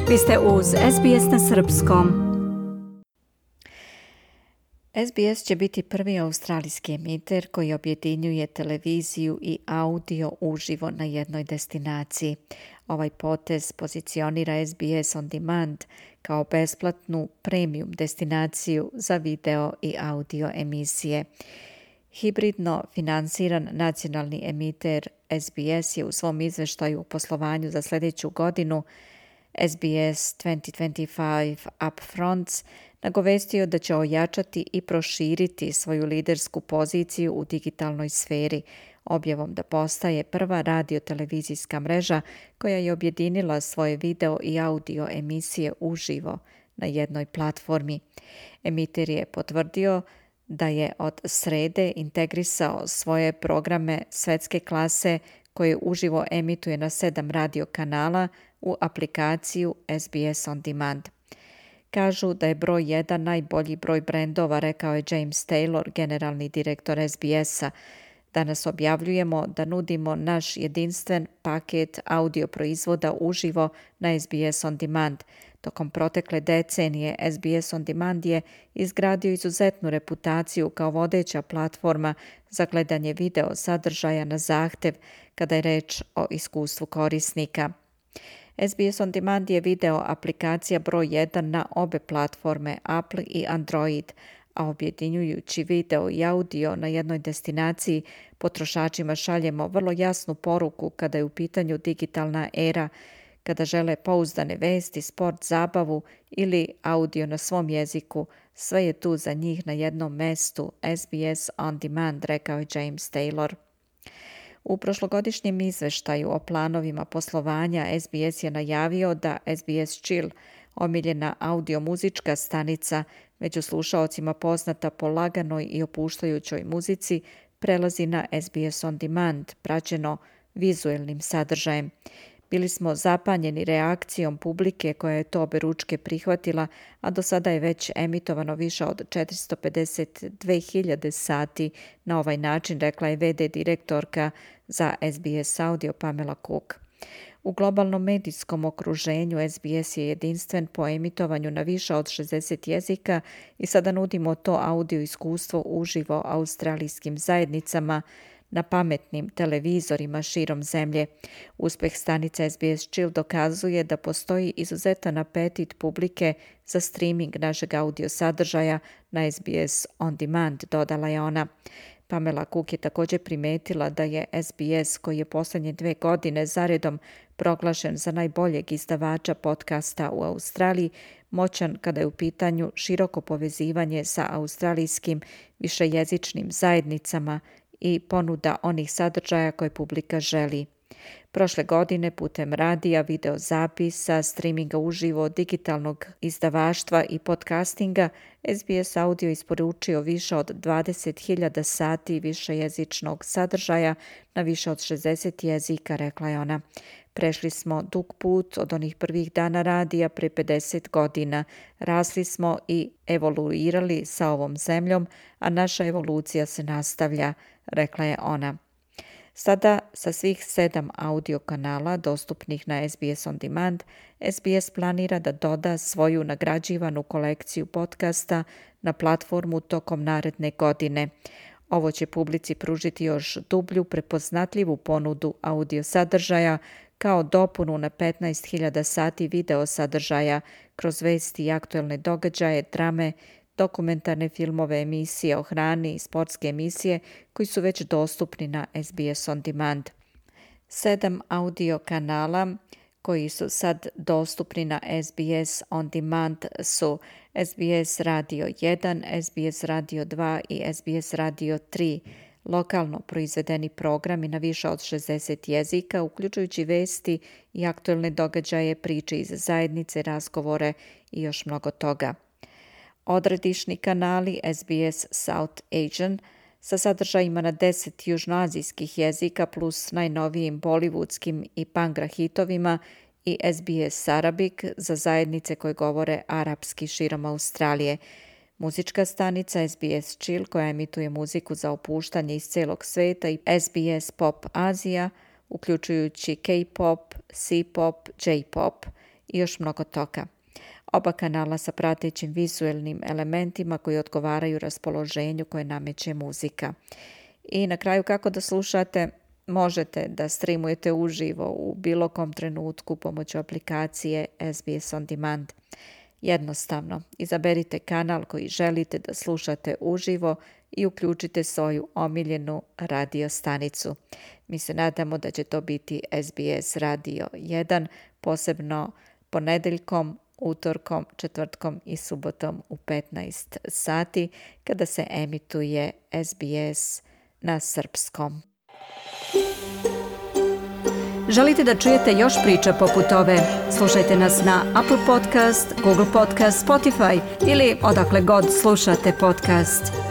Vi ste uz SBS na srpskom. SBS će biti prvi australijski emiter koji objedinjuje televiziju i audio uživo na jednoj destinaciji. Ovaj potez pozicionira SBS On Demand kao besplatnu premium destinaciju za video i audio emisije. Hibridno finansiran nacionalni emiter SBS je u svom izveštaju o poslovanju za sljedeću godinu SBS 2025 Upfronts nagovestio da će ojačati i proširiti svoju lidersku poziciju u digitalnoj sferi, objavom da postaje prva radio-televizijska mreža koja je objedinila svoje video i audio emisije uživo na jednoj platformi. Emiter je potvrdio da je od srede integrisao svoje programe svetske klase koje uživo emituje na 7 radio kanala u aplikaciju SBS On Demand. Kažu da je broj 1 najbolji broj brendova, rekao je James Taylor, generalni direktor SBS-a. Danas objavljujemo da nudimo naš jedinstven paket audio proizvoda uživo na SBS On Demand. Tokom protekle decenije SBS On Demand je izgradio izuzetnu reputaciju kao vodeća platforma za gledanje video sadržaja na zahtev kada je reč o iskustvu korisnika. SBS On Demand je video aplikacija broj 1 na obe platforme Apple i Android, a objedinjujući video i audio na jednoj destinaciji potrošačima šaljemo vrlo jasnu poruku kada je u pitanju digitalna era, kada žele pouzdane vesti, sport, zabavu ili audio na svom jeziku, sve je tu za njih na jednom mestu. SBS On Demand, rekao je James Taylor. U prošlogodišnjem izveštaju o planovima poslovanja SBS je najavio da SBS Chill, omiljena audio-muzička stanica, među slušaocima poznata po laganoj i opuštajućoj muzici, prelazi na SBS On Demand, praćeno vizuelnim sadržajem. Bili smo zapanjeni reakcijom publike koja je to oberučke prihvatila, a do sada je već emitovano više od 452.000 sati na ovaj način, rekla je VD direktorka za SBS Audio Pamela Cook. U globalnom medijskom okruženju SBS je jedinstven po emitovanju na više od 60 jezika i sada nudimo to audio iskustvo uživo australijskim zajednicama na pametnim televizorima širom zemlje. Uspeh stanice SBS Chill dokazuje da postoji izuzetan apetit publike za streaming našeg audio sadržaja na SBS On Demand, dodala je ona. Pamela Cook je također primetila da je SBS, koji je posljednje 2 godine zaredom proglašen za najboljeg izdavača podcasta u Australiji, moćan kada je u pitanju široko povezivanje sa australijskim višejezičnim zajednicama i ponuda onih sadržaja koje publika želi. Prošle godine putem radija, videozapisa, streaminga uživo, digitalnog izdavaštva i podcastinga, SBS Audio isporučio više od 20.000 sati višejezičnog sadržaja na više od 60 jezika, rekla je ona. Prešli smo dug put od onih prvih dana radija pre 50 godina. Rasli smo i evoluirali sa ovom zemljom, a naša evolucija se nastavlja, rekla je ona. Sada sa svih 7 audio kanala dostupnih na SBS On Demand, SBS planira da doda svoju nagrađivanu kolekciju podcasta na platformu tokom naredne godine. Ovo će publici pružiti još dublju, prepoznatljivu ponudu audio sadržaja kao dopunu na 15.000 sati video sadržaja kroz vesti i aktuelne događaje, drame, dokumentarne filmove, emisije o hrani i sportske emisije koji su već dostupni na SBS On Demand. 7 audio kanala koji su sad dostupni na SBS On Demand su SBS Radio 1, SBS Radio 2 i SBS Radio 3, lokalno proizvedeni programi na više od 60 jezika, uključujući vesti i aktuelne događaje, priče iz zajednice, razgovore i još mnogo toga. Odredišni kanali SBS South Asian sa sadržajima na 10 južnoazijskih jezika plus najnovijim bollywoodskim i pangra hitovima i SBS Arabic za zajednice koje govore arapski širom Australije. Muzička stanica SBS Chill koja emituje muziku za opuštanje iz celog sveta i SBS Pop Azija, uključujući K-pop, C-pop, J-pop i još mnogo toga. Oba kanala sa pratećim vizuelnim elementima koji odgovaraju raspoloženju koje nameće muzika. I na kraju kako da slušate? Možete da streamujete uživo u bilo kom trenutku pomoću aplikacije SBS On Demand. Jednostavno, izaberite kanal koji želite da slušate uživo i uključite svoju omiljenu radio stanicu. Mi se nadamo da će to biti SBS Radio 1, posebno ponedeljkom, utorkom, četvrtkom i subotom u 15 sati kada se emituje SBS na srpskom. Želite da čujete još priča poput ove? Slušajte nas na Apple Podcast, Google Podcast, Spotify ili odakle god slušate podcast.